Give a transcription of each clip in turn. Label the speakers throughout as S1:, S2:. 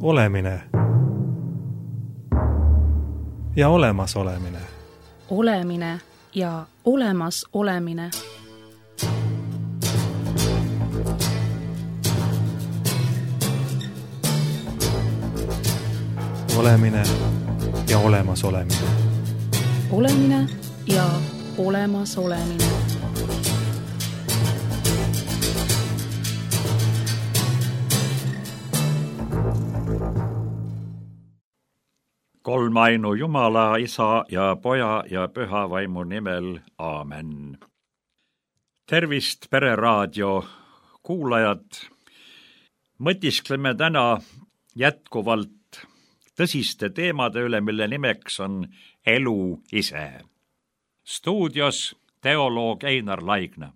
S1: Olemine ja olemasolemine.
S2: Olemine ja olemasolemine.
S1: Olemine ja olemasolemine.
S2: Olemine ja olemasolemine.
S3: Kolmainu Jumala, Isa ja Poja ja Püha Vaimu nimel. Aamen. Tervist, Pereraadio kuulajad! Mõtiskleme täna jätkuvalt tõsiste teemade üle, mille nimeks on elu ise. Stuudios teoloog Einar Laigna.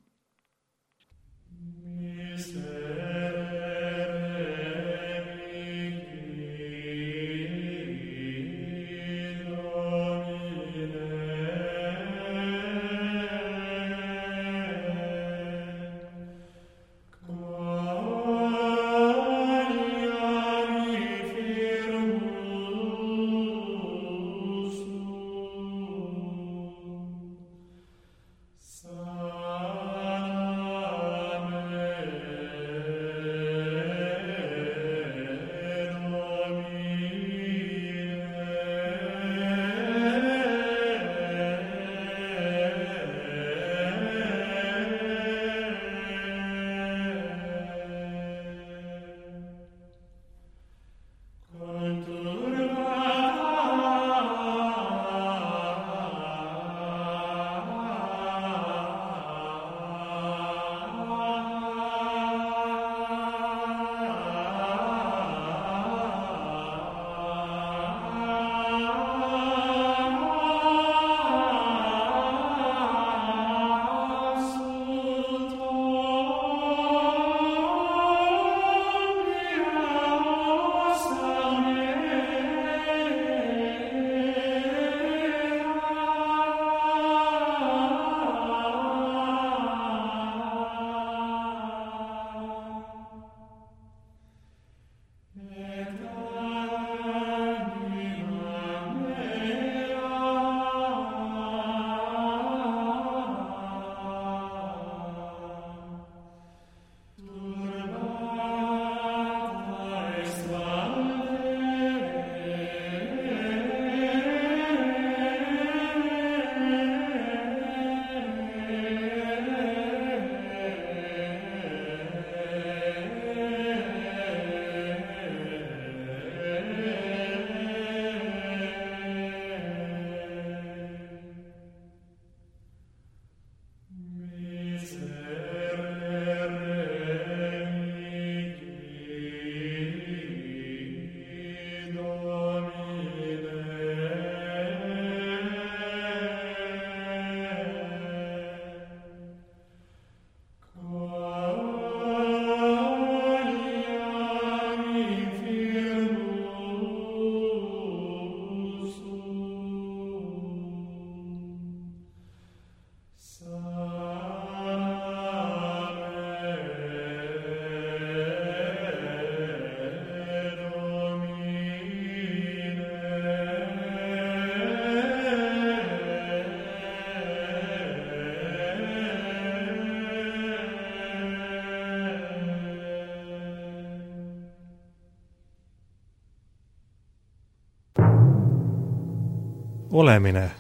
S1: Olemine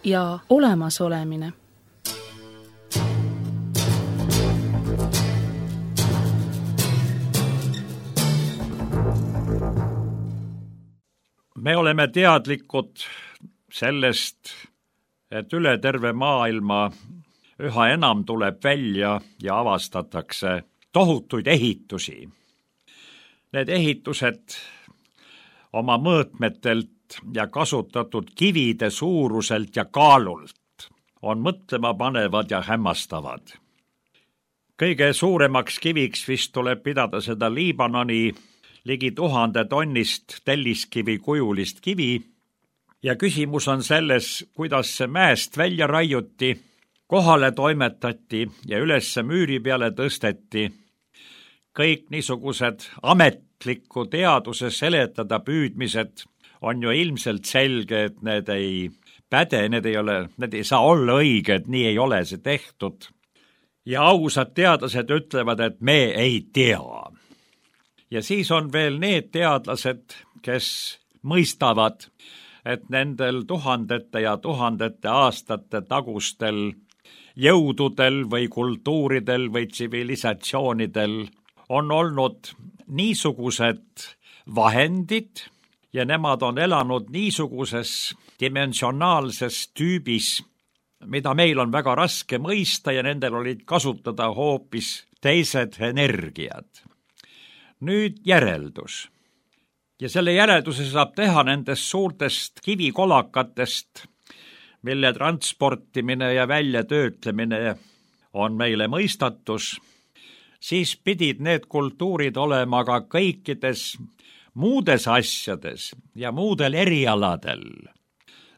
S2: ja olemasolemine.
S3: Me oleme teadlikud sellest, et üle terve maailma üha enam tuleb välja ja avastatakse tohutuid ehitusi. Need ehitused oma mõõtmetelt ja kasutatud kivide suuruselt ja kaalult on mõtlema panevad ja hämmastavad. Kõige suuremaks kiviks vist tuleb pidada seda Liibanoni ligi 1000 tonnist telliskivi kujulist kivi ja küsimus on selles, kuidas see mäest välja raiuti, kohale toimetati ja ülesse müüri peale tõsteti, kõik niisugused ametliku teaduse seletada püüdmised on ju ilmselt selge, et need ei päde, need ei saa olla õiged, nii ei ole see tehtud. Ja ausad teadlased ütlevad, et me ei tea. Ja siis on veel need teadlased, kes mõistavad, et nendel tuhandete ja tuhandete aastate tagustel jõududel või kultuuridel või tsivilisatsioonidel on olnud niisugused vahendid ja nemad on elanud niisuguses dimensionaalses tüübis, mida meil on väga raske mõista ja nendel olid kasutada hoopis teised energiad. Nüüd järeldus. Ja selle järelduse saab teha nendest suurtest kivikolakatest, mille transportimine ja väljatöötlemine on meile mõistatus, siis pidid need kultuurid olema ka kõikides muudes asjades ja muudel erialadel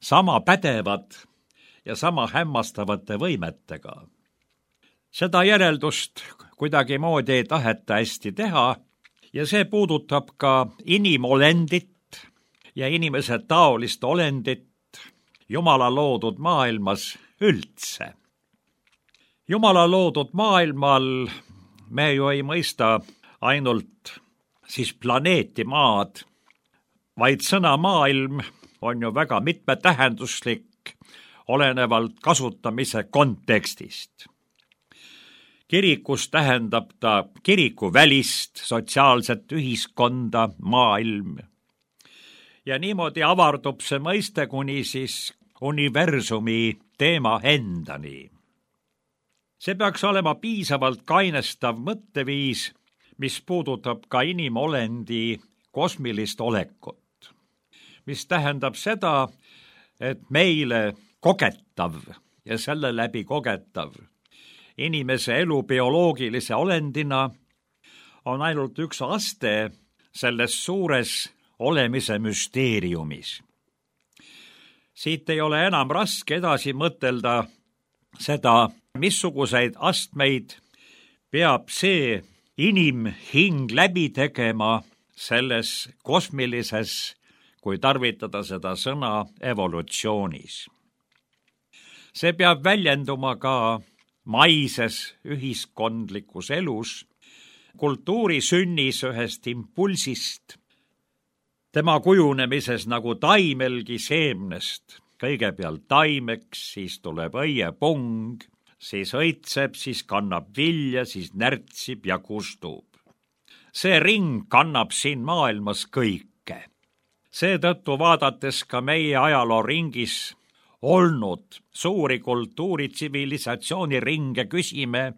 S3: sama pädevad ja sama hämmastavate võimetega. Seda järeldust kuidagi moodi ei taheta hästi teha ja see puudutab ka inimolendit ja inimese taolist olendit Jumala loodud maailmas üldse. Jumala loodud maailmal me ju ei mõista ainult siis planeeti maad, vaid sõna maailm on ju väga mitmetähenduslik, olenevalt kasutamise kontekstist. Kirikus tähendab ta kirikuvälist sotsiaalset ühiskonda, maailm. Ja niimoodi avardub see mõiste kuni siis universumi teema endani. See peaks olema piisavalt kainestav mõtteviis, mis puudutab ka inimolendi kosmilist olekut, mis tähendab seda, et meile kogetav ja selle läbi kogetav inimese elu bioloogilise olendina on ainult üks aste selles suures olemise müsteeriumis. Siit ei ole enam raske edasi mõtelda seda, missuguseid astmeid peab see inimhing läbi tegema selles kosmilises, kui tarvitada seda sõna, evolutsioonis. See peab väljenduma ka maises ühiskondlikus elus, kultuuri sünnis ühest impulsist, tema kujunemises nagu taimelgi seemnest, kõigepealt taimeks, siis tuleb õiepung, siis õitseb, siis kannab vilja, siis närtsib ja kustub. See ring kannab siin maailmas kõike. Seetõttu vaadates ka meie ajaloo ringis olnud suuri kultuuritsivilisatsiooni ringe küsime,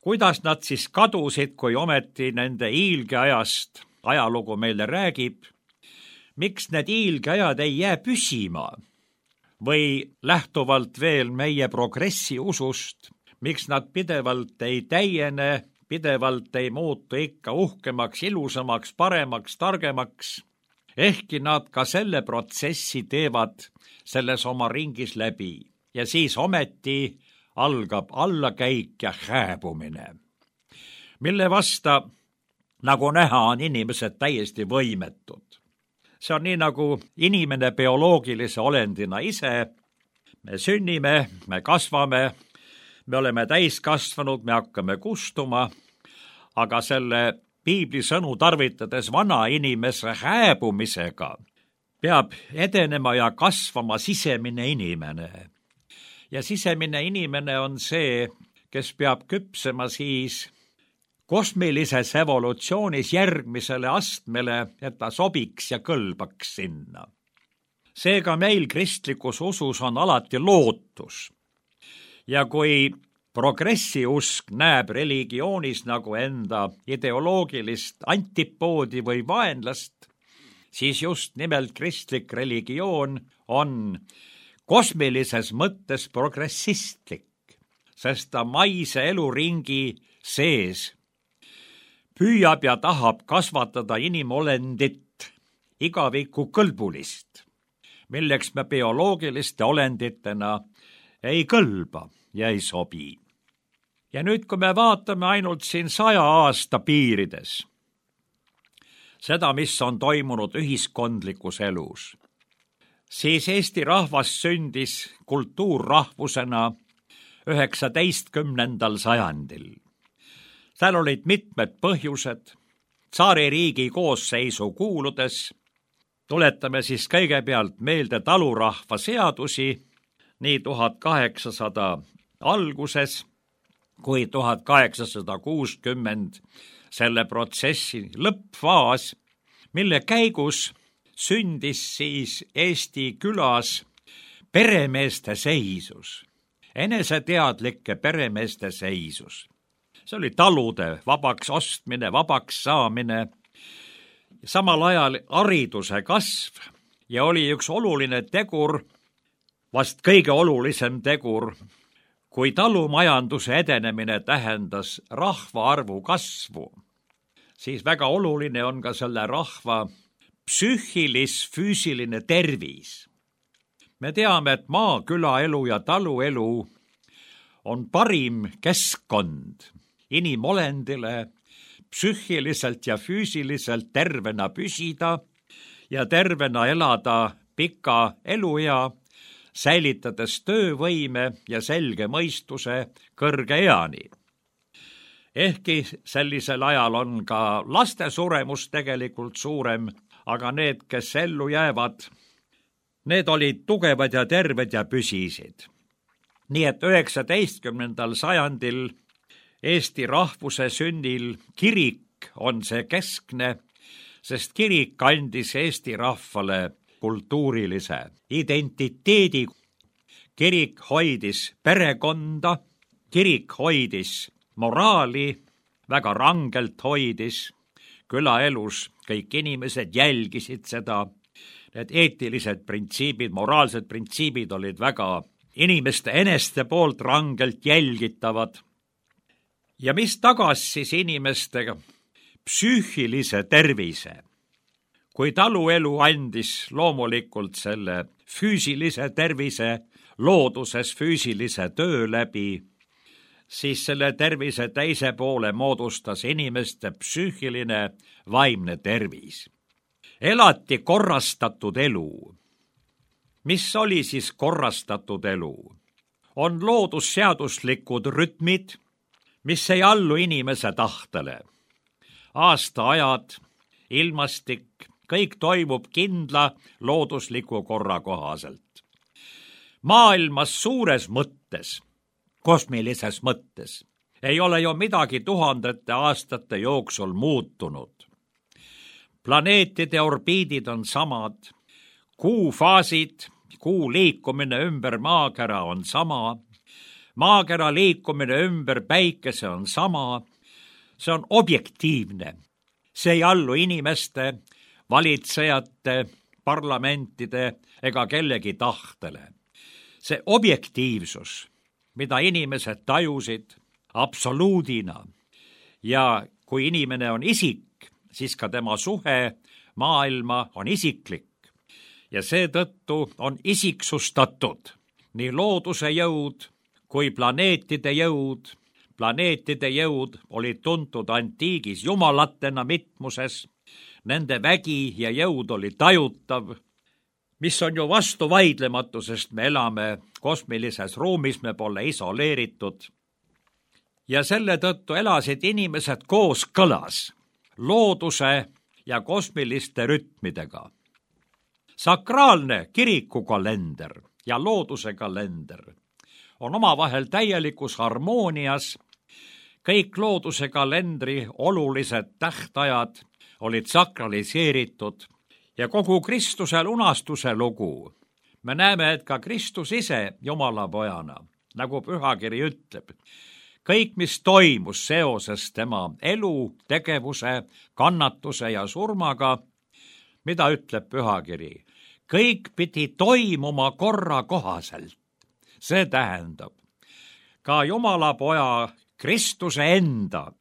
S3: kuidas nad siis kadusid, kui ometi nende iilgeajast ajalugu meile räägib, miks need iilgeajad ei jää püsima või lähtuvalt veel meie progressi usust, miks nad pidevalt ei täiene, pidevalt ei muutu ikka uhkemaks, ilusamaks, paremaks, targemaks, ehkki nad ka selle protsessi teevad selles oma ringis läbi ja siis ometi algab allakäik ja hääbumine, mille vasta, nagu näha, on inimesed täiesti võimetud. See on nii nagu inimene bioloogilise olendina ise. Me sünnime, me kasvame, me oleme täiskasvanud, me hakkame kustuma, aga selle piibli sõnu tarvitades vana inimese hääbumisega peab edenema ja kasvama sisemine inimene. Ja sisemine inimene on see, kes peab küpsema siis kosmilises evolutsioonis järgmisele astmele, et ta sobiks ja kõlbaks sinna. Seega meil kristlikus usus on alati lootus. Ja kui progressiusk näeb religioonis nagu enda ideoloogilist antipoodi või vaenlast, siis just nimelt kristlik religioon on kosmilises mõttes progressistlik, sest ta maise eluringi sees püüab ja tahab kasvatada inimolendit igaviku kõlbulist, milleks me bioloogiliste olenditena ei kõlba ja ei sobi. Ja nüüd, kui me vaatame ainult siin 100 aasta piirides, seda, mis on toimunud ühiskondlikus elus, siis Eesti rahvas sündis kultuurrahvusena 19. sajandil. Seal olid mitmed põhjused. Tsaaririigi koosseisu kuuludes tuletame siis kõigepealt meelde talurahva seadusi nii 1800 alguses kui 1860 selle protsessi lõppfaas, mille käigus sündis siis Eesti külas peremeeste seisus, eneseteadlike peremeeste seisus. See oli talude vabaks ostmine, vabaks saamine, samal ajal hariduse kasv ja oli üks oluline tegur, vast kõige olulisem tegur, kui talumajanduse edenemine tähendas rahvaarvu kasvu, siis väga oluline on ka selle rahva psüühilis-füüsiline tervis. Me teame, et maakülaelu ja taluelu on parim keskkond inimolendile psüühiliselt ja füüsiliselt tervena püsida ja tervena elada pika eluea, säilitades töövõime ja selge mõistuse kõrge eani. Ehkki sellisel ajal on ka laste suremus tegelikult suurem, aga need, kes ellu jäävad, need olid tugevad ja terved ja püsisid. Nii et 19. sajandil Eesti rahvuse sünnil kirik on see keskne, sest kirik andis Eesti rahvale kultuurilise identiteedi. Kirik hoidis perekonda, kirik hoidis moraali, väga rangelt hoidis. Külaelus kõik inimesed jälgisid seda. Need eetilised printsiibid, moraalsed printsiibid olid väga inimeste eneste poolt rangelt jälgitavad. Ja mis tagas siis inimestega psüühilise tervise? Kui taluelu andis loomulikult selle füüsilise tervise looduses füüsilise töö läbi, siis selle tervise teise poole moodustas inimeste psüühiline vaimne tervis. Elati korrastatud elu. Mis oli siis korrastatud elu? On loodusseaduslikud rütmid, mis ei allu inimese tahtele. Aastaajad, ilmastik, kõik toimub kindla loodusliku korra kohaselt. Maailmas suures mõttes, kosmilises mõttes, ei ole ju midagi tuhandete aastate jooksul muutunud. Planeetide orbiidid on samad, kuu faasid, kuu liikumine ümber maakera on sama, maakera liikumine ümber päikese on sama, see on objektiivne. See ei allu inimeste, valitsejate, parlamentide ega kellegi tahtele. See objektiivsus, mida inimesed tajusid absoluudina ja kui inimene on isik, siis ka tema suhe maailma on isiklik ja seetõttu on isiksustatud nii looduse jõud kui planeetide jõud. Planeetide jõud olid tuntud antiigis jumalatena mitmuses, nende vägi ja jõud oli tajutav, mis on ju vastuvaidlematu, sest me elame kosmilises ruumis, me pole isoleeritud. Ja selle tõttu elasid inimesed kooskõlas looduse ja kosmiliste rütmidega. Sakraalne kirikukalender ja looduse kalender on omavahel täielikus harmoonias. Kõik looduse kalendri olulised tähtajad olid sakraliseeritud ja kogu Kristuse lunastuse lugu. Me näeme, et ka Kristus ise Jumala pojana, nagu pühakiri ütleb, kõik, mis toimus seoses tema elu, tegevuse, kannatuse ja surmaga, mida ütleb pühakiri? Kõik pidi toimuma korra kohaselt. See tähendab, ka Jumala poja Kristuse enda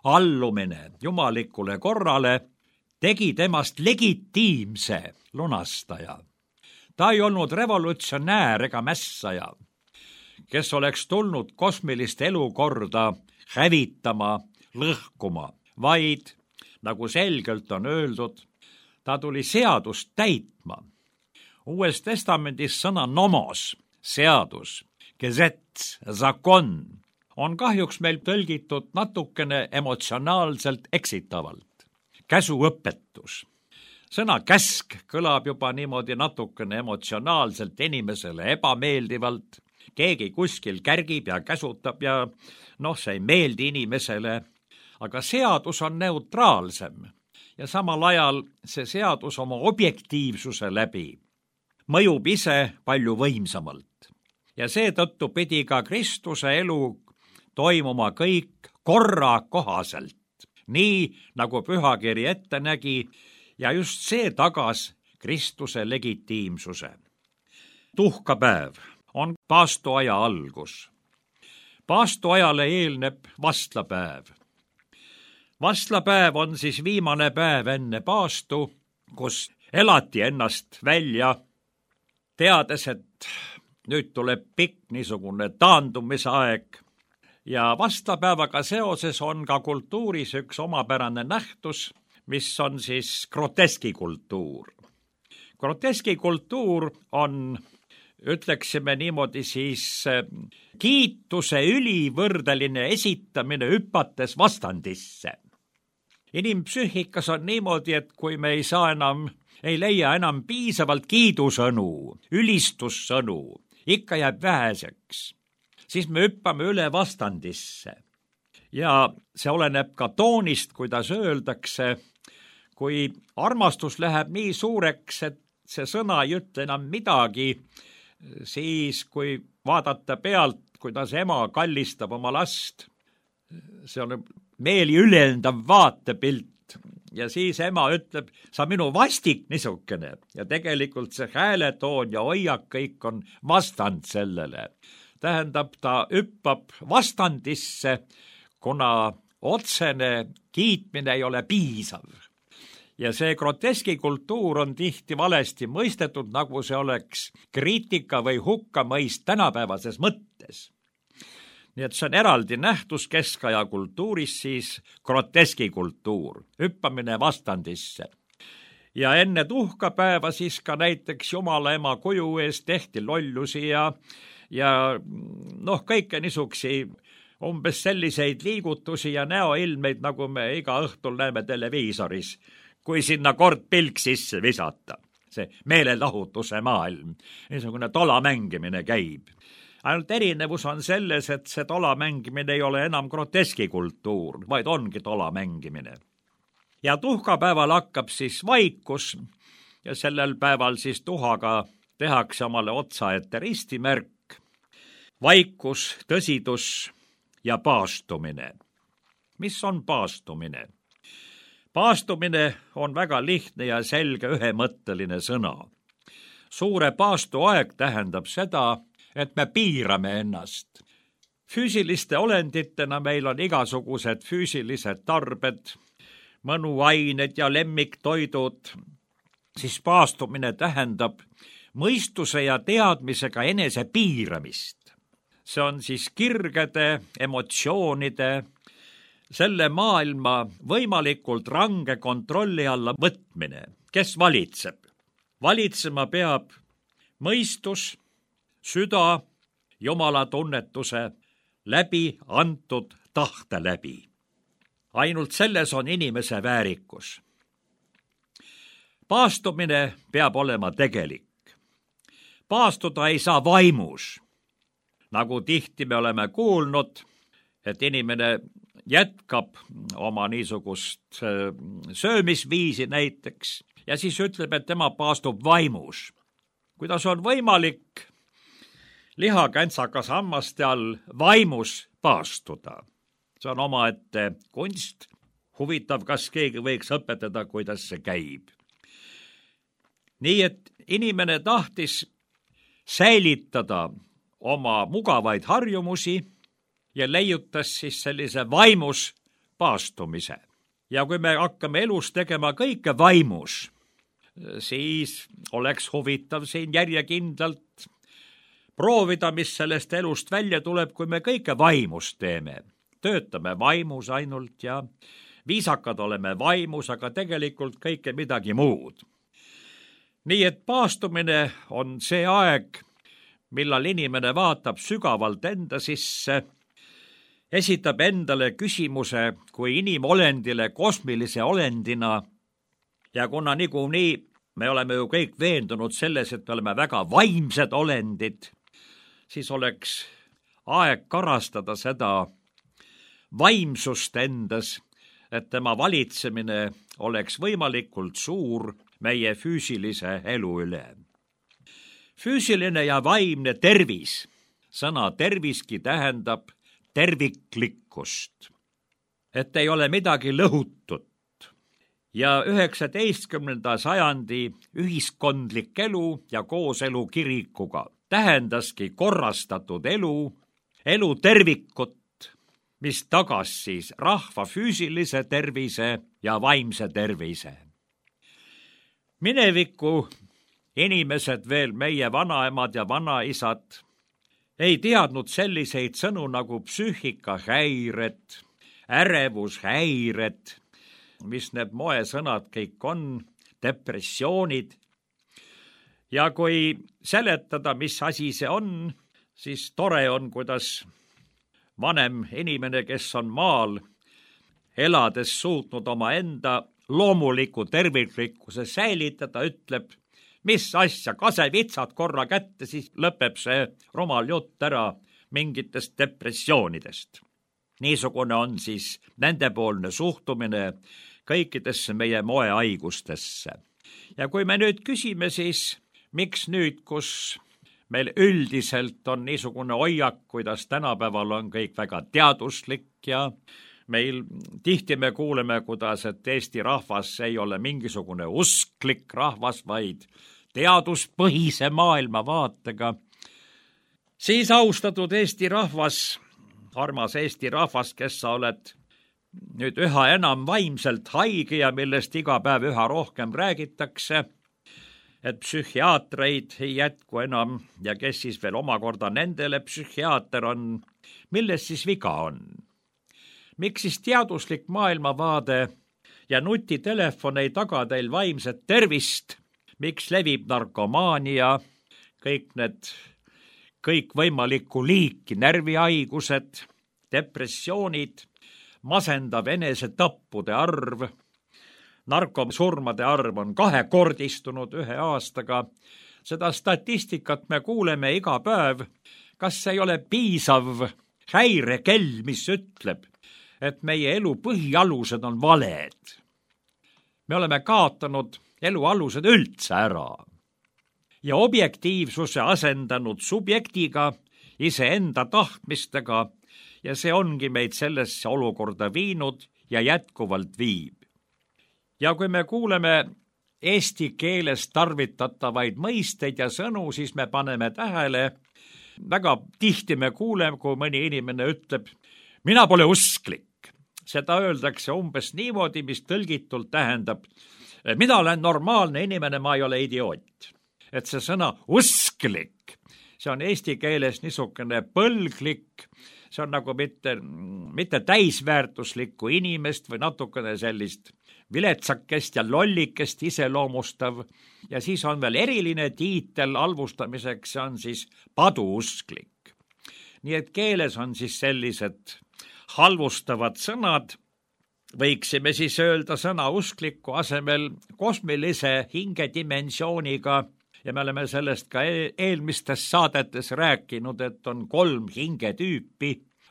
S3: allumine jumalikule korrale tegi temast legitiimse lunastaja. Ta ei olnud revolutsionäär ega mässaja. kes oleks tulnud kosmilist elukorda hävitama, lõhkuma, vaid, nagu selgelt on öeldud, ta tuli seadust täitma. Uues testamendis sõna nomos, seadus, gesetz, zakon, on kahjuks meil tõlgitud natukene emotsionaalselt eksitavalt. Käsuõpetus. Sõna käsk kõlab juba niimoodi natukene emotsionaalselt inimesele ebameeldivalt. Keegi kuskil kärgib ja käsutab ja see ei meeldi inimesele, aga seadus on neutraalsem ja samal ajal see seadus oma objektiivsuse läbi mõjub ise palju võimsamalt. Ja seetõttu pidi ka Kristuse elu toimuma kõik korra kohaselt, nii nagu pühakiri ette nägi, ja just see tagas Kristuse legitiimsuse. Tuhkapäev on paastuaja algus. Paastuajale eelneb vastlapäev. Vastlapäev on siis viimane päev enne paastu, kus elati ennast välja, teades, et nüüd tuleb pikk niisugune taandumisaeg. Ja vastlapäevaga seoses on ka kultuuris üks omapärane nähtus, mis on siis groteskikultuur. Groteskikultuur on, ütleksime niimoodi siis, kiituse ülivõrdeline esitamine hüpates vastandisse. Inimpsüühikas on niimoodi, et kui me ei leia enam piisavalt kiidusõnu, ülistussõnu, ikka jääb väheseks, siis me hüppame üle vastandisse. Ja see oleneb ka toonist, kuidas öeldakse, kui armastus läheb nii suureks, et see sõna ei ütle enam midagi, siis kui vaadata pealt, kuidas ema kallistab oma last, see on meeli ülendav vaatepilt ja siis ema ütleb, sa minu vastik niisugune ja tegelikult see hääletoon ja hoiak kõik on vastand sellele. Tähendab, ta hüppab vastandisse, kuna otsene kiitmine ei ole piisav. Ja see groteskikultuur on tihti valesti mõistetud, nagu see oleks kriitika või hukkamõist tänapäevases mõttes. Nii et see on eraldi nähtus keskaja kultuuris, siis groteskikultuur, hüppamine vastandisse. Ja enne tuhkapäeva siis ka näiteks Jumala ema kuju ees tehti lollusi ja kõike niisuksi umbes selliseid liigutusi ja näoilmeid, nagu me iga õhtul näeme televiisoris, kui sinna kord pilk sisse visata. See meelelahutuse maailm, niisugune tola mängimine käib. Ainult erinevus on selles, et see tola mängimine ei ole enam groteskikultuur, vaid ongi tola mängimine. Ja tuhkapäeval hakkab siis vaikus ja sellel päeval siis tuhaga tehakse omale otsa ette ristimärk. Vaikus, tõsidus ja paastumine. Mis on paastumine? Paastumine on väga lihtne ja selge ühemõtteline sõna. Suure paastuaeg tähendab seda, et me piirame ennast. Füüsiliste olenditena meil on igasugused füüsilised tarbed, mõnuained ja lemmiktoidud, siis paastumine tähendab mõistuse ja teadmisega enese piiramist. See on siis kirgede, emotsioonide, selle maailma võimalikult range kontrolli alla võtmine. Kes valitseb? Valitsema peab mõistus, süda, Jumala tunnetuse läbi antud tahte läbi. Ainult selles on inimese väärikus. Paastumine peab olema tegelik. Paastuda ei saa vaimus. Nagu tihti me oleme kuulnud, et inimene jätkab oma niisugust söömisviisi näiteks ja siis ütleb, et tema paastub vaimus. Kuidas on võimalik lihakänsakas hammaste all vaimus paastuda? See on omaette kunst. Huvitav, kas keegi võiks õpetada, kuidas see käib. Nii et inimene tahtis säilitada oma mugavaid harjumusi ja leiutas siis sellise vaimus paastumise. Ja kui me hakkame elus tegema kõike vaimus, siis oleks huvitav siin järjekindlalt proovida, mis sellest elust välja tuleb, kui me kõike vaimust teeme. Töötame vaimus ainult ja viisakad oleme vaimus, aga tegelikult kõike midagi muud. Nii et paastumine on see aeg, millal inimene vaatab sügavalt enda sisse, esitab endale küsimuse kui inimolendile kosmilise olendina ja kuna niikuinii me oleme ju kõik veendunud selles, et me oleme väga vaimsed olendid, siis oleks aeg karastada seda vaimsust endas, et tema valitsemine oleks võimalikult suur meie füüsilise elu üle. Füüsiline ja vaimne tervis, sõna terviski tähendab terviklikkust, et ei ole midagi lõhutut. Ja 19. sajandi ühiskondlik elu ja kooselu kirikuga tähendaski korrastatud elu tervikut, mis tagas siis rahva füüsilise tervise ja vaimse tervise. Mineviku inimesed, veel meie vanaemad ja vanaisad, ei teadnud selliseid sõnu nagu psüühikahäired, ärevushäired, mis need moesõnad kõik on, depressioonid. Ja kui seletada, mis asi see on, siis tore on, kuidas vanem inimene, kes on maal, elades suutnud oma enda loomuliku terviklikkuse säilitada, ütleb, mis asja, kasevitsad korra kätte, siis lõpeb see rumal jutt ära mingitest depressioonidest. Niisugune on siis nendepoolne suhtumine kõikidesse meie moehaigustesse. Ja kui me nüüd küsime siis, miks nüüd, kus meil üldiselt on niisugune hoiak, kuidas tänapäeval on kõik väga teaduslik ja meil tihti me kuuleme, kuidas, et Eesti rahvas ei ole mingisugune usklik rahvas, vaid teaduspõhise maailmavaatega, siis austatud Eesti rahvas, armas Eesti rahvas, kes sa oled nüüd üha enam vaimselt haige ja millest iga päev üha rohkem räägitakse, et psühhiaatreid ei jätku enam ja kes siis veel omakorda nendele psühhiaater on, milles siis viga on? Miks siis teaduslik maailmavaade ja nutitelefon ei taga teil vaimset tervist? Miks levib narkomaania, kõik võimalikku liiki närvihaigused, depressioonid, masendav enesetappude arv, narkosurmade arv on 2-kordistunud 1 aastaga. Seda statistikat me kuuleme iga päev. Kas see ei ole piisav häirekell, mis ütleb, et meie elu põhialused on valed? Me oleme kaotanud elu alused üldse ära ja objektiivsuse asendanud subjektiga, iseenda tahtmistega ja see ongi meid sellesse olukorda viinud ja jätkuvalt viib. Ja kui me kuuleme eesti keeles tarvitatavaid mõisteid ja sõnu, siis me paneme tähele, väga tihti me kuuleme, kui mõni inimene ütleb, mina pole usklik. Seda öeldakse umbes niimoodi, mis tõlgitult tähendab, mina olen normaalne inimene, ma ei ole idioot. Et see sõna usklik, see on eesti keeles niisugune põlglik, see on nagu mitte täisväärtuslikku inimest või natukene sellist viletsakest ja lollikest iseloomustav ja siis on veel eriline tiitel halvustamiseks, see on siis paduusklik. Nii et keeles on siis sellised halvustavad sõnad, võiksime siis öelda sõna uskliku asemel kosmilise hingedimensiooniga ja me oleme sellest ka eelmistes saadetes rääkinud, et on 3 hingetüüpi,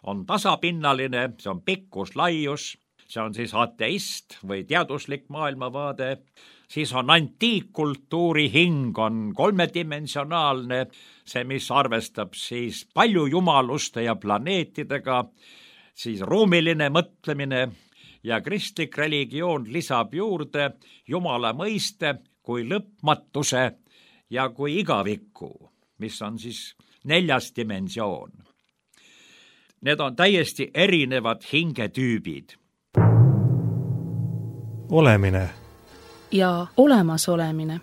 S3: on tasapinnaline, see on pikkus, laius, see on siis ateist või teaduslik maailmavaade, siis on antiikkultuuri hing, on 3-dimensionaalne, see, mis arvestab siis palju jumaluste ja planeetidega, siis ruumiline mõtlemine ja kristlik religioon lisab juurde Jumala mõiste kui lõpmatuse ja kui igaviku, mis on siis 4. dimensioon. Need on täiesti erinevad hingetüübid.
S1: Olemine
S2: ja olemasolemine.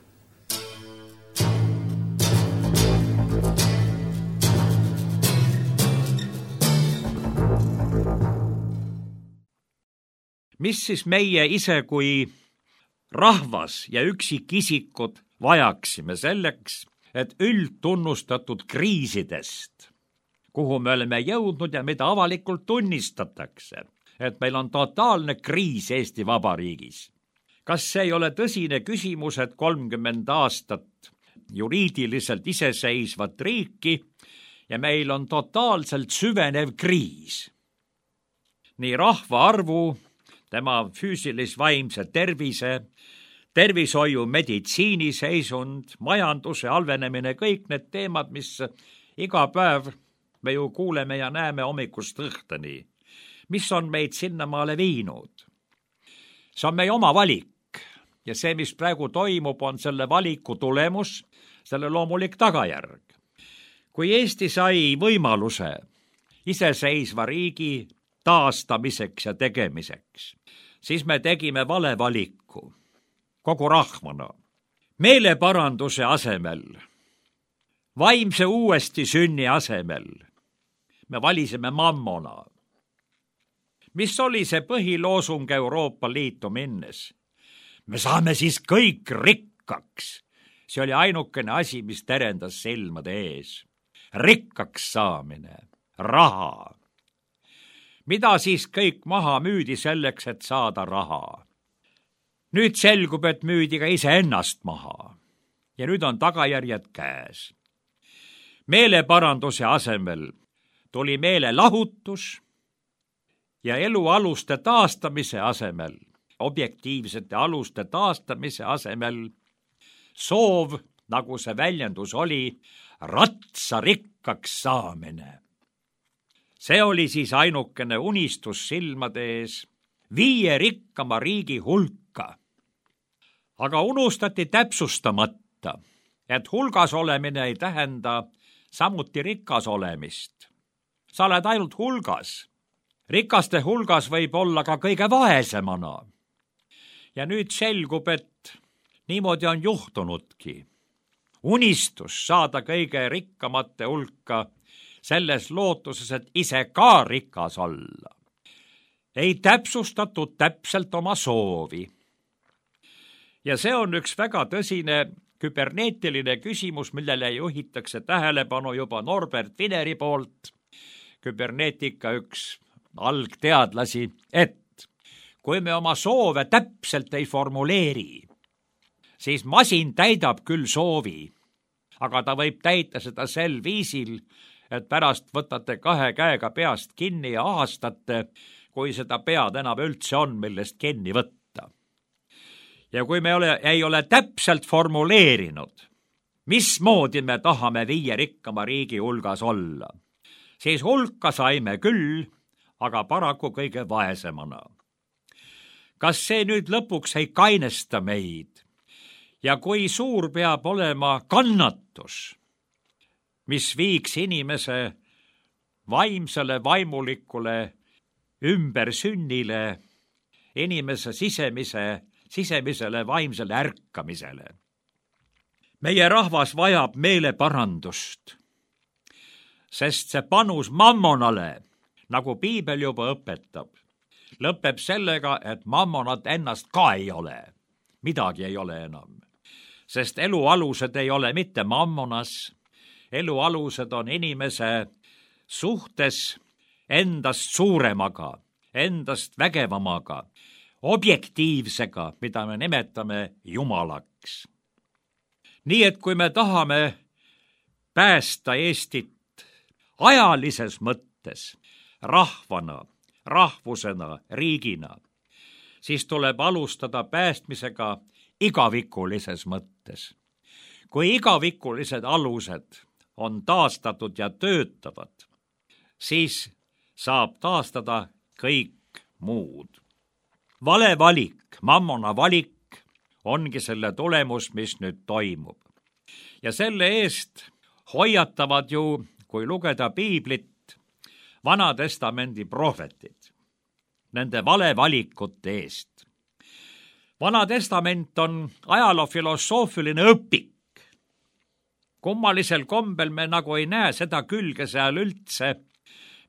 S3: Mis siis meie ise kui rahvas ja üksikisikud vajaksime selleks, et üldtunnustatud kriisidest, kuhu me oleme jõudnud ja mida avalikult tunnistatakse, et meil on totaalne kriis Eesti Vabariigis. Kas see ei ole tõsine küsimus, et 30 aastat juriidiliselt iseseisvat riiki ja meil on totaalselt süvenev kriis? Nii rahvaarvu, tema füüsilis-vaimse tervise, tervishoiu, meditsiiniseisund, majanduse halvenemine, kõik need teemad, mis iga päev me ju kuuleme ja näeme hommikust õhtuni. Mis on meid sinnamaale viinud? See on meie oma valik ja see, mis praegu toimub, on selle valiku tulemus, selle loomulik tagajärg. Kui Eesti sai võimaluse iseseisva riigi taastamiseks ja tegemiseks, siis me tegime vale valiku kogu rahvana. Meeleparanduse asemel, vaimse uuesti sünni asemel me valisime mammona. Mis oli see põhiloosung Euroopa Liitu minnes? Me saame siis kõik rikkaks. See oli ainukene asi, mis terendas silmade ees. Rikkaks saamine, raha. Mida siis kõik maha müüdi selleks, et saada raha? Nüüd selgub, et müüdi ka iseennast maha. Ja nüüd on tagajärjed käes. Meeleparanduse asemel tuli meelelahutus ja elualuste taastamise asemel, objektiivsete aluste taastamise asemel soov, nagu see väljendus oli, ratsarikkaks saamine. See oli siis ainukene unistus silmade ees, 5 rikkama riigi hulka. Aga unustati täpsustamata, et hulgas olemine ei tähenda samuti rikas olemist. Sa oled ainult hulgas. Rikaste hulgas võib olla ka kõige vaesemana. Ja nüüd selgub, et niimoodi on juhtunudki. Unistus saada kõige rikkamate hulka selles lootuses, et ise ka rikas olla. Ei täpsustatud täpselt oma soovi. Ja see on üks väga tõsine küberneetiline küsimus, millele juhitakse tähelepanu juba Norbert Wieneri poolt, küberneetika üks algteadlasi, et kui me oma soove täpselt ei formuleeri, siis masin täidab küll soovi, aga ta võib täita seda sel viisil, et pärast võtate 2 käega peast kinni ja ahastate, kui seda pead enam üldse on, millest kinni võtta. Ja kui me ei ole täpselt formuleerinud, mismoodi me tahame 5 rikkama riigi hulgas olla, siis hulka saime küll, aga paraku kõige vaesemana. Kas see nüüd lõpuks ei kainesta meid? Ja kui suur peab olema kannatus, mis viiks inimese vaimsele, vaimulikule ümbersünnile, inimese sisemisele vaimsele ärkamisele. Meie rahvas vajab meeleparandust, sest see panus mammonale, nagu piibel juba õpetab, lõpeb sellega, et mammonat ennast ka ei ole. Midagi ei ole enam. Sest elualused ei ole mitte mammonas, elualused on inimese suhtes endast suuremaga, endast vägevamaga, objektiivsega, mida me nimetame Jumalaks. Nii et kui me tahame päästa Eestit ajalises mõttes, rahvana, rahvusena, riigina, siis tuleb alustada päästmisega igavikulises mõttes. Kui igavikulised alused on taastatud ja töötavad, siis saab taastada kõik muud. Vale valik, mammona valik ongi selle tulemus, mis nüüd toimub. Ja selle eest hoiatavad ju, kui lugeda piiblit, Vana Testamendi prohvetid, nende vale valikute eest. Vana Testament on ajaloofilosoofiline õpik. Kummalisel kombel me nagu ei näe seda külge seal üldse,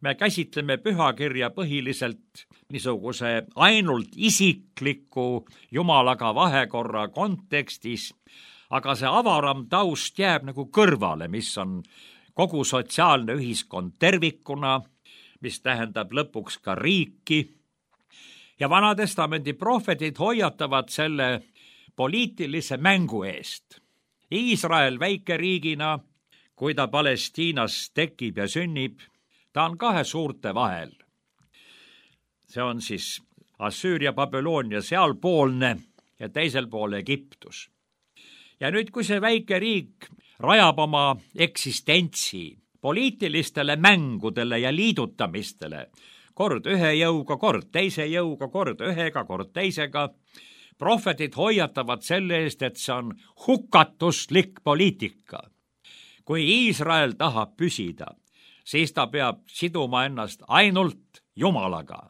S3: me käsitleme pühakirja põhiliselt niisuguse ainult isikliku Jumalaga vahekorra kontekstis, aga see avaram taust jääb nagu kõrvale, mis on kogu sotsiaalne ühiskond tervikuna, mis tähendab lõpuks ka riiki. Ja Vanatestamendi prohvetid hoiatavad selle poliitilise mängu eest. Iisrael väikeriigina, kui ta Palestiinas tekib ja sünnib, ta on kahe suurte vahel. See on siis Assüüria, Babyloonia sealpoolne ja teisel pool Egiptus. Ja nüüd, kui see väike riik rajab oma eksistentsi poliitilistele mängudele ja liidutamistele, kord ühe jõuga, kord teise jõuga, kord ühega, kord teisega, prohvetid hoiatavad selle eest, et see on hukatuslik poliitika. Kui Iisrael tahab püsida, siis ta peab siduma ennast ainult Jumalaga.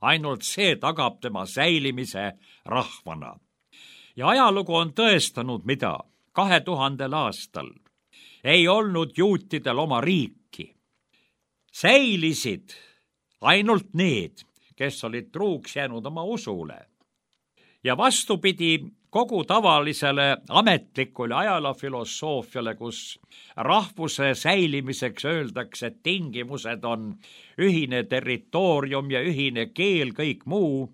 S3: Ainult see tagab tema säilimise rahvana. Ja ajalugu on tõestanud, mida 2000 aastal ei olnud juutidel oma riiki. Säilisid ainult need, kes olid truuks jäänud oma usule. Ja vastupidi kogu tavalisele ametlikule ajaloofilosoofiale, kus rahvuse säilimiseks öeldakse, et tingimused on ühine territoorium ja ühine keel, kõik muu,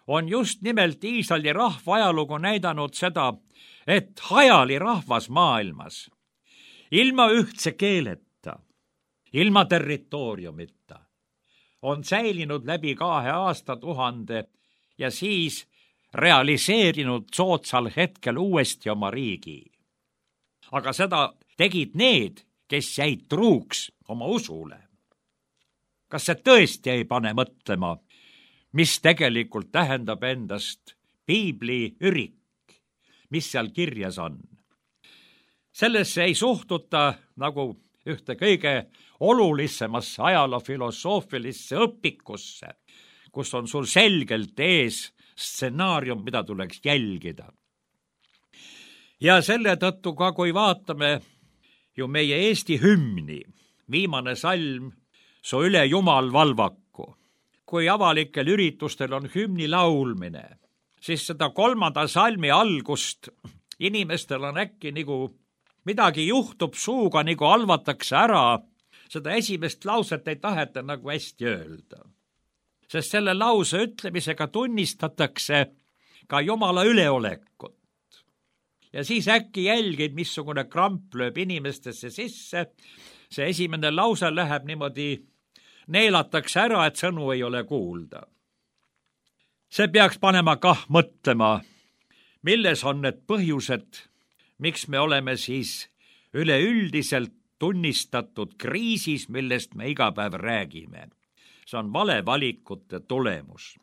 S3: on just nimelt Iisraeli rahva ajalugu näidanud seda, et hajali rahvas maailmas, ilma ühtse keeleta, ilma territooriumita, on säilinud läbi 2 aastatuhande ja siis realiseerinud soodsal hetkel uuesti oma riigi. Aga seda tegid need, kes jäid truuks oma usule. Kas see tõesti ei pane mõtlema, mis tegelikult tähendab endast piibli ürik, mis seal kirjas on? Sellesse ei suhtuta nagu ühte kõige olulisemasse ajaloofilosoofilisse õpikusse, kus on sul selgelt ees stsenaarium, mida tuleks jälgida. Ja selle tõttu ka, kui vaatame ju meie Eesti hümni, viimane salm, Su üle Jumal valvaku. Kui avalikel üritustel on hümni laulmine, siis seda 3. salmi algust inimestel on äkki nagu midagi juhtub suuga, nagu halvatakse ära. Seda esimest lauset ei taheta nagu hästi öelda. Sest selle lause ütlemisega tunnistatakse ka Jumala üleolekut. Ja siis äkki jälgid, missugune kramp lööb inimestesse sisse. See esimene lause läheb niimoodi, neelatakse ära, et sõnu ei ole kuulda. See peaks panema kah mõtlema, milles on need põhjused, miks me oleme siis üleüldiselt tunnistatud kriisis, millest me iga päev räägime. See on valevalikute tulemus.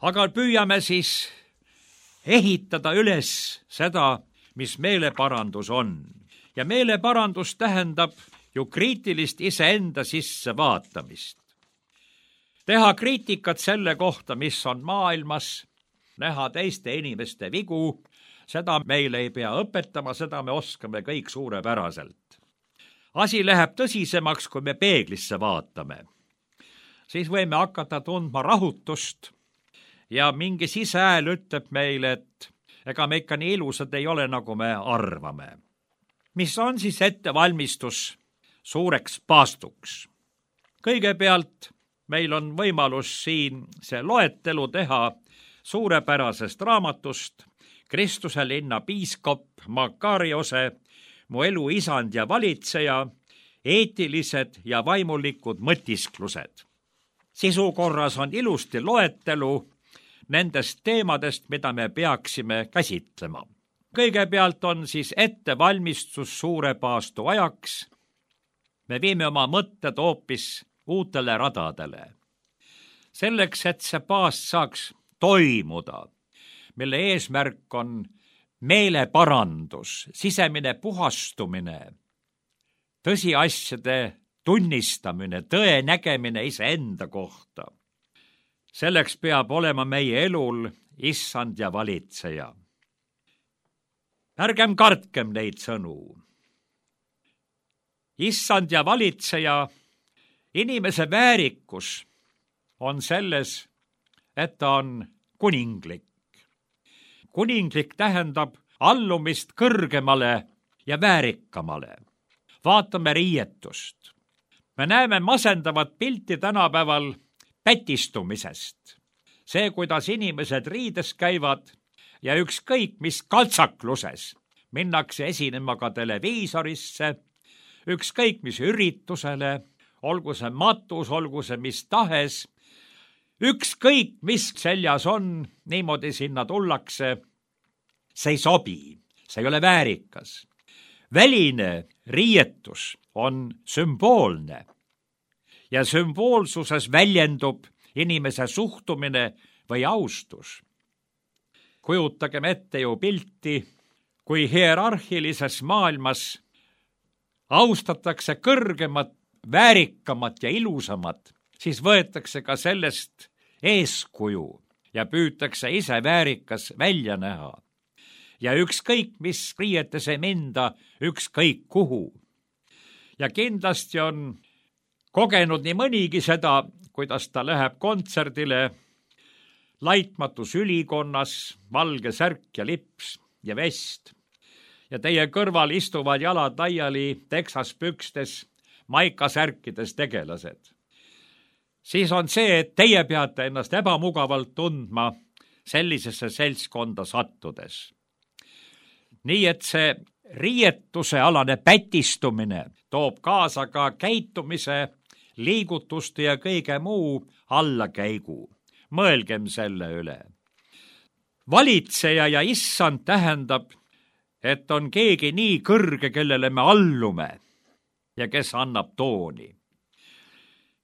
S3: Aga püüame siis ehitada üles seda, mis meeleparandus on. Ja meeleparandus tähendab ju kriitilist iseenda sisse vaatamist. Teha kriitikat selle kohta, mis on maailmas, näha teiste inimeste vigu, seda meile ei pea õpetama, seda me oskame kõik suurepäraselt. Asi läheb tõsisemaks, kui me peeglisse vaatame. Siis võime hakata tundma rahutust ja mingi sisehääl ütleb meile, et ega me ikka nii ilusad ei ole, nagu me arvame. Mis on siis ettevalmistus suureks paastuks? Kõigepealt meil on võimalus siin see loetelu teha suurepärasest raamatust Kristuse linna piiskop Makariose, Mu elu isand ja valitseja, eetilised ja vaimulikud mõtisklused. Sisukorras on ilusti loetelu nendest teemadest, mida me peaksime käsitlema. Kõigepealt on siis ettevalmistus suure paastu ajaks. Me viime oma mõtted hoopis uutele radadele. Selleks, et see paast saaks toimuda, mille eesmärk on meeleparandus, sisemine puhastumine, tõsiasjade tunnistamine, tõe nägemine iseenda kohta. Selleks peab olema meie elul issand ja valitseja. Ärgem kartkem neid sõnu. issand ja valitseja, inimese väärikus on selles, et ta on kuninglik. Kuninglik tähendab allumist kõrgemale ja väärikamale. Vaatame riietust. Me näeme masendavat pilti tänapäeval pätistumisest. See, kuidas inimesed riides käivad ja ükskõik mis kaltsakluses minnakse esinema ka televiisorisse, ükskõik mis üritusele, olgu see matus, olgu see mis tahes, ükskõik mis seljas on, niimoodi sinna tullakse, see ei sobi, see ei ole väärikas. Väline riietus on sümboolne ja sümboolsuses väljendub inimese suhtumine või austus. Kujutagem ette ju pilti, kui hierarhilises maailmas austatakse kõrgemat, väärikamat ja ilusamat, siis võetakse ka sellest eeskuju ja püütakse ise väärikas välja näha. Ja ükskõik, mis riietes ei minda, ükskõik kuhu. Ja kindlasti on kogenud nii mõnigi seda, kuidas ta läheb kontserdile, laitmatus ülikonnas, valge särk ja lips ja vest. Ja teie kõrval istuvad jalad laiali teksaspükstes, maikasärkides tegelased. Siis on see, et teie peate ennast ebamugavalt tundma sellisesse seltskonda sattudes. Nii et see riietuse alane pätistumine toob kaasa ka käitumise, liigutuste ja kõige muu allakäigu. Mõelgem selle üle. Valitseja ja issand tähendab, et on keegi nii kõrge, kellele me allume ja kes annab tooni.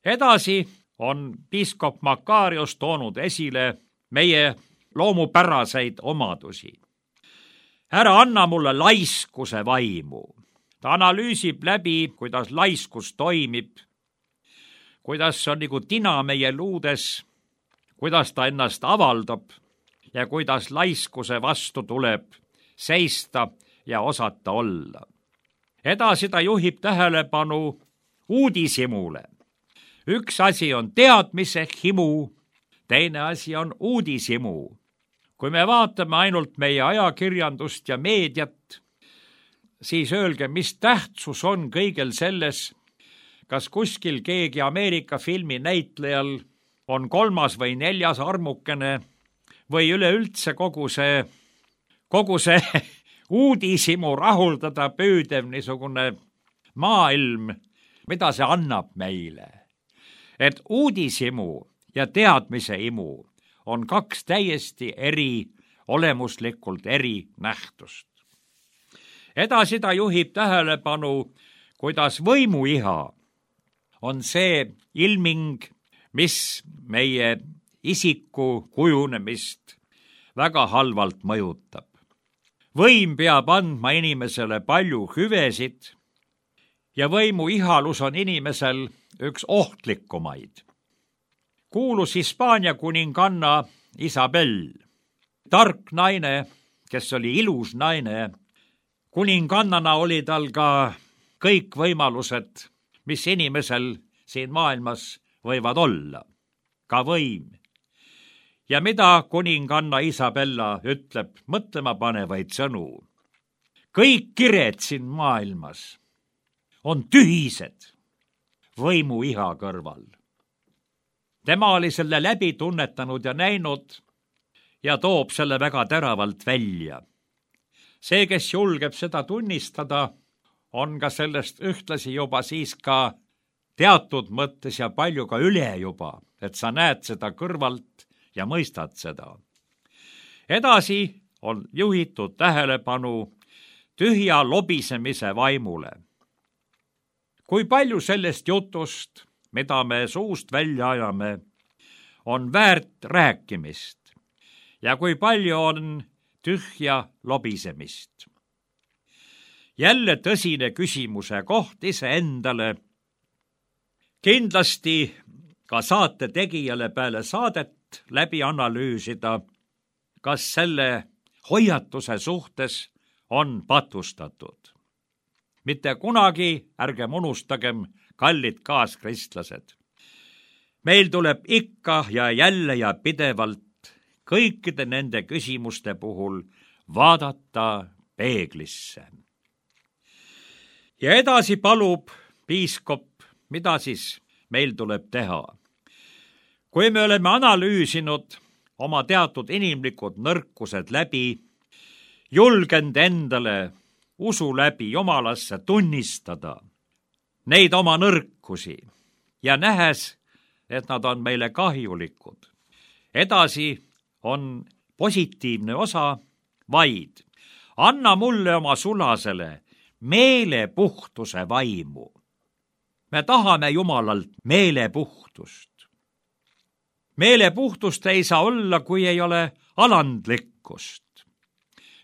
S3: Edasi on piiskop Makarios toonud esile meie loomupäraseid omadusi. Ära anna mulle laiskuse vaimu. Ta analüüsib läbi, kuidas laiskus toimib, kuidas see on nagu tina meie luudes, kuidas ta ennast avaldab ja kuidas laiskuse vastu tuleb seista ja osata olla. Edasi ta juhib tähelepanu uudishimule. Üks asi on teadmise himu, teine asi on uudishimu. Kui me vaatame ainult meie ajakirjandust ja meediat, siis öelge, mis tähtsus on kõigel selles, kas kuskil keegi Ameerika filmi näitlejal on 3. või 4. armukene või üleüldse kogu see uudishimu rahuldada püüdev niisugune maailm, mida see annab meile. Et uudishimu ja teadmise himu on 2 täiesti olemuslikult eri nähtust. Edasi ta juhib tähelepanu, kuidas võimuiha on see ilming, mis meie isiku kujunemist väga halvalt mõjutab. Võim peab andma inimesele palju hüvesid ja võimuihalus on inimesel üks ohtlikumaid. Kuulus Hispaania kuninganna Isabel, tark naine, kes oli ilus naine. Kuningannana oli tal ka kõik võimalused, mis inimesel siin maailmas võivad olla, ka võim. Ja mida kuninganna Isabella ütleb mõtlema panevaid sõnu? Kõik kired siin maailmas on tühised võimuiha kõrval. Tema oli selle läbi tunnetanud ja näinud ja toob selle väga teravalt välja. See, kes julgeb seda tunnistada, on ka sellest ühtlasi juba siis ka teatud mõttes ja palju ka üle juba, et sa näed seda kõrvalt ja mõistad seda. Edasi on juhitud tähelepanu tühja lobisemise vaimule. Kui palju sellest jutust, mida me suust välja ajame, on väärt rääkimist ja kui palju on tühja lobisemist. Jälle tõsine küsimuse koht iseendale. Kindlasti ka saate tegijale peale saadet läbi analüüsida, kas selle hoiatuse suhtes on patustatud. mitte kunagi ärgem unustagem, kallid kaaskristlased. Meil tuleb ikka ja jälle ja pidevalt kõikide nende küsimuste puhul vaadata peeglisse. Ja edasi palub piiskop, mida siis meil tuleb teha. Kui me oleme analüüsinud oma teatud inimlikud nõrkused läbi, julgenud endale usu läbi Jumalasse tunnistada neid oma nõrkusi ja nähes, et nad on meile kahjulikud. Edasi on positiivne osa vaid anna mulle oma sulasele meelepuhtuse vaimu. Me tahame Jumalalt meelepuhtust. Meelepuhtust ei saa olla, kui ei ole alandlikkust.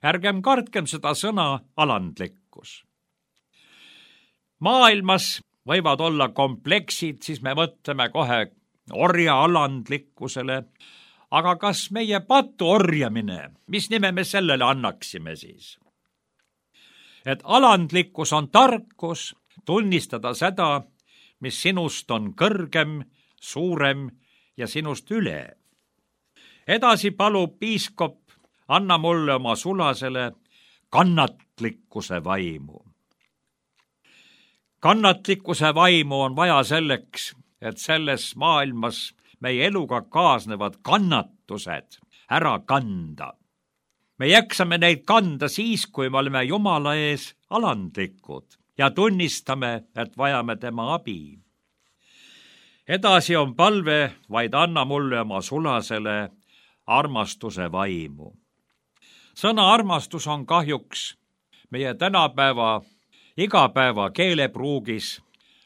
S3: Ärgem kartkem seda sõna alandlikkus. Maailmas võivad olla kompleksid, siis me mõtleme kohe orja alandlikkusele, aga kas meie patu orjamine, mis nime me sellele annaksime siis? Et alandlikkus on tarkus tunnistada seda, mis sinust on kõrgem, suurem ja sinust üle. Edasi palub piiskop, anna mulle oma sulasele kannatlikkuse vaimu. Kannatlikkuse vaimu on vaja selleks, et selles maailmas meie eluga kaasnevad kannatused ära kanda. Me jaksame neid kanda siis, kui me oleme Jumala ees alandlikud ja tunnistame, et vajame tema abi. Edasi on palve, vaid anna mulle oma sulasele armastuse vaimu. Sõna armastus on kahjuks meie tänapäeva igapäeva keelepruugis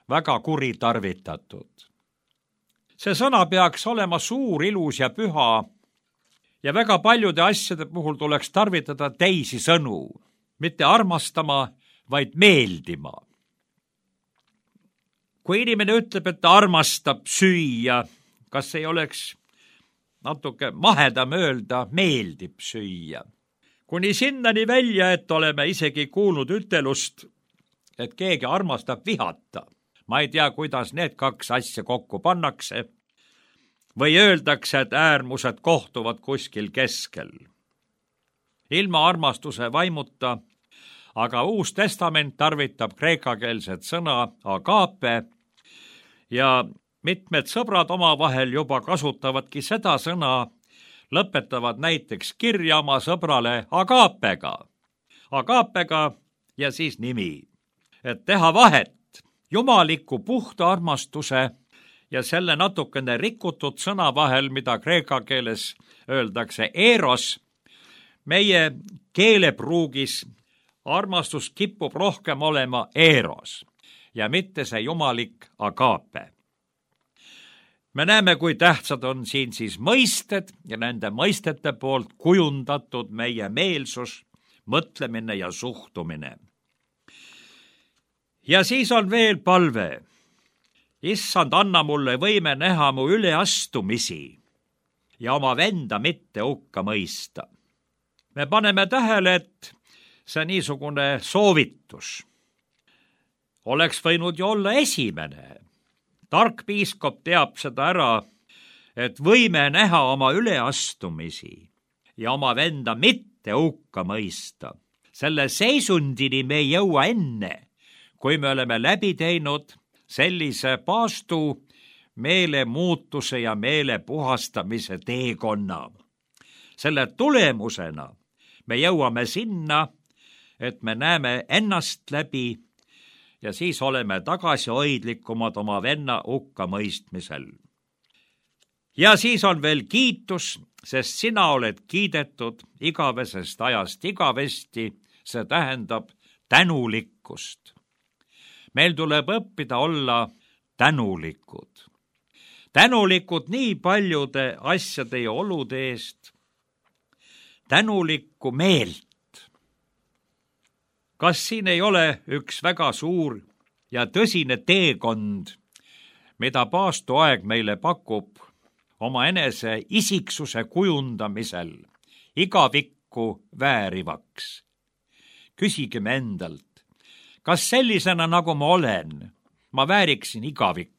S3: väga kuritarvitatud. See sõna peaks olema suur, ilus ja püha ja väga paljude asjade puhul tuleks tarvitada teisi sõnu, mitte armastama, vaid meeldima. Kui inimene ütleb, et ta armastab süüa, kas ei oleks natuke mahedam öelda, meeldib süüa? Kuni sinnani välja, et oleme isegi kuulnud ütelust, et keegi armastab vihata. Ma ei tea, kuidas need kaks asja kokku pannakse. Või öeldakse, et äärmused kohtuvad kuskil keskel. Ilma armastuse vaimuta, aga Uus Testament tarvitab kreekakeelset sõna agape ja mitmed sõbrad omavahel juba kasutavadki seda sõna, lõpetavad näiteks kirja oma sõbrale agapega. Agapega ja siis nimi. Et teha vahet jumaliku puhta armastuse ja selle natukene rikutud sõna vahel, mida kreeka keeles öeldakse eros, meie keelepruugis armastus kipub rohkem olema eros ja mitte see jumalik agape. Me näeme, kui tähtsad on siin siis mõisted ja nende mõistete poolt kujundatud meie meelsus, mõtlemine ja suhtumine. Ja siis on veel palve. Issand, anna mulle võime näha mu üleastumisi ja oma venda mitte hukka mõista. Me paneme tähele, et see niisugune soovitus oleks võinud ju olla esimene. Tark piiskop teab seda ära, et võime näha oma üleastumisi ja oma venda mitte hukka mõista. Selle seisundini me ei jõua enne, kui me oleme läbi teinud sellise paastu meelemuutuse ja meele puhastamise teekonna. Selle tulemusena me jõuame sinna, et me näeme ennast läbi ja siis oleme tagasihoidlikumad oma venna hukka mõistmisel. Ja siis on veel kiitus, sest sina oled kiidetud igavesest ajast igavesti, see tähendab tänulikkust. Meil tuleb õppida olla tänulikud. Tänulikud nii paljude asjade ja olude eest. Tänulikku meelt. Kas siin ei ole üks väga suur ja tõsine teekond, mida paastuaeg meile pakub oma enese isiksuse kujundamisel igavikku väärivaks? Küsigem endalt, kas sellisena, nagu ma olen, ma vääriksin igavikku?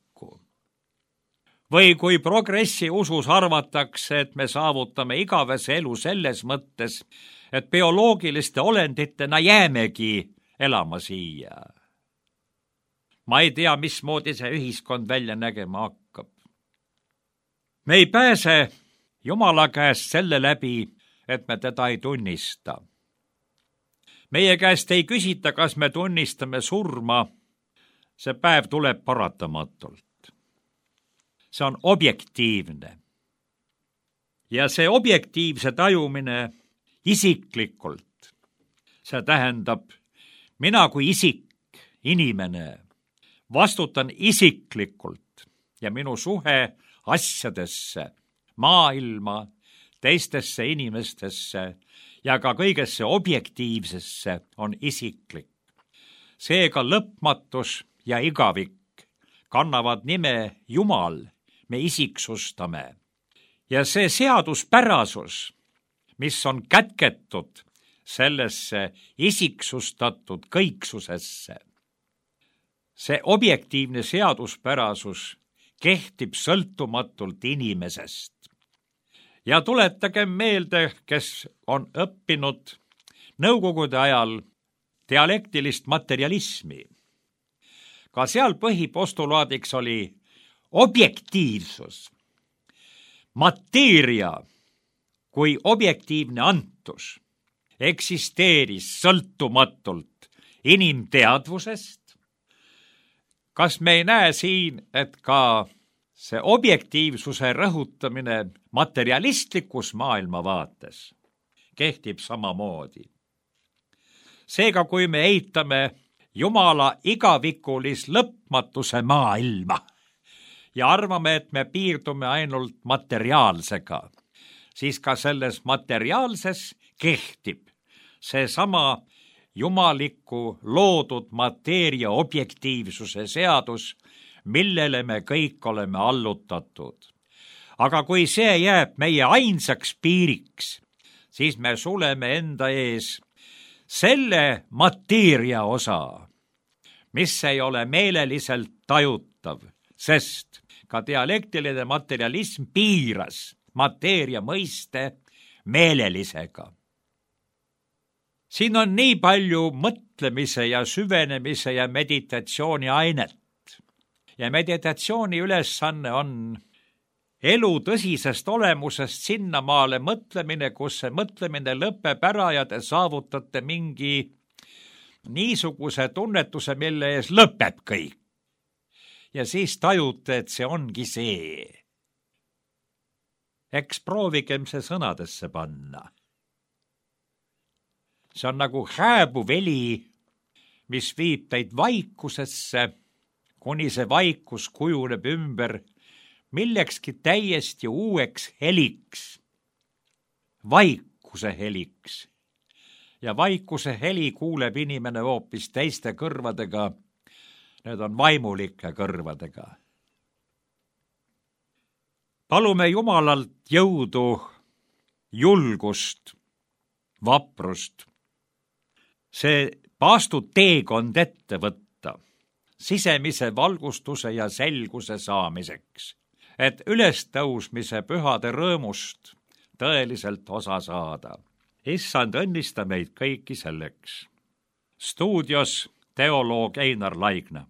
S3: Või kui progressi usus arvatakse, et me saavutame igavese elu selles mõttes, et bioloogiliste olenditena jäämegi elama siia. Ma ei tea, mismoodi see ühiskond välja nägema hakkab. Me ei pääse Jumala käest selle läbi, et me teda ei tunnista. Meie käest ei küsita, kas me tunnistame surma. See päev tuleb paratamatult. See on objektiivne. Ja see objektiivse tajumine isiklikult, see tähendab, mina kui isik, inimene, vastutan isiklikult ja minu suhe asjadesse, maailma, teistesse inimestesse ja ka kõigesse objektiivsesse on isiklik. Seega lõpmatus ja igavik kannavad nime Jumal, me isiksustame. Ja see seaduspärasus, mis on kätketud sellesse isiksustatud kõiksusesse, see objektiivne seaduspärasus kehtib sõltumatult inimesest. Ja tuletagem meelde, kes on õppinud nõukogude ajal dialektilist materialismi. Ka seal põhipostulaadiks oli objektiivsus. Mateeria kui objektiivne antus eksisteeris sõltumatult inimteadvusest. Kas me ei näe siin, et ka see objektiivsuse rõhutamine materialistlikus maailmavaates kehtib samamoodi? Seega, kui me eitame Jumala igavikulis lõpmatuse maailma ja arvame, et me piirdume ainult materiaalsega, siis ka selles materiaalses kehtib seesama jumaliku loodud mateeria objektiivsuse seadus, millele me kõik oleme allutatud. Aga kui see jääb meie ainsaks piiriks, siis me suleme enda ees selle mateeria osa, mis ei ole meeleliselt tajutav, sest ka dialektiline materialism piiras mateeria mõiste meelelisega. Siin on nii palju mõtlemise ja süvenemise ja meditatsiooni ainet. Ja meditatsiooni ülesanne on elu tõsisest olemusest sinnamaale mõtlemine, kus see mõtlemine lõpeb ära ja te saavutate mingi niisuguse tunnetuse, mille ees lõpeb kõik. Ja siis tajute, et see ongi see. Eks proovigem see sõnadesse panna. See on nagu hääbuv heli, mis viib teid vaikusesse, kuni see vaikus kujuneb ümber millekski täiesti uueks heliks. Vaikuse heliks. Ja vaikuse heli kuuleb inimene hoopis teiste kõrvadega. Need on vaimulike kõrvadega. Palume Jumalalt jõudu, julgust, vaprust. See paastuteekond ette võtta sisemise valgustuse ja selguse saamiseks, et ülestõusmise pühade rõõmust tõeliselt osa saada. Issand, õnnista meid kõiki selleks. Stuudios teoloog Einar Laigna.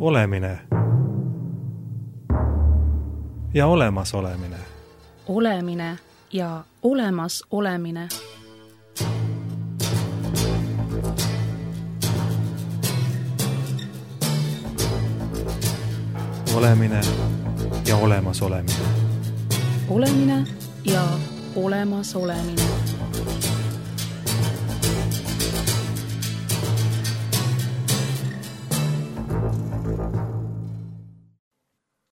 S1: Olemine ja olemasolemine.
S2: Olemine ja olemasolemine.
S1: Olemine ja olemasolemine.
S2: Olemine ja olemasolemine.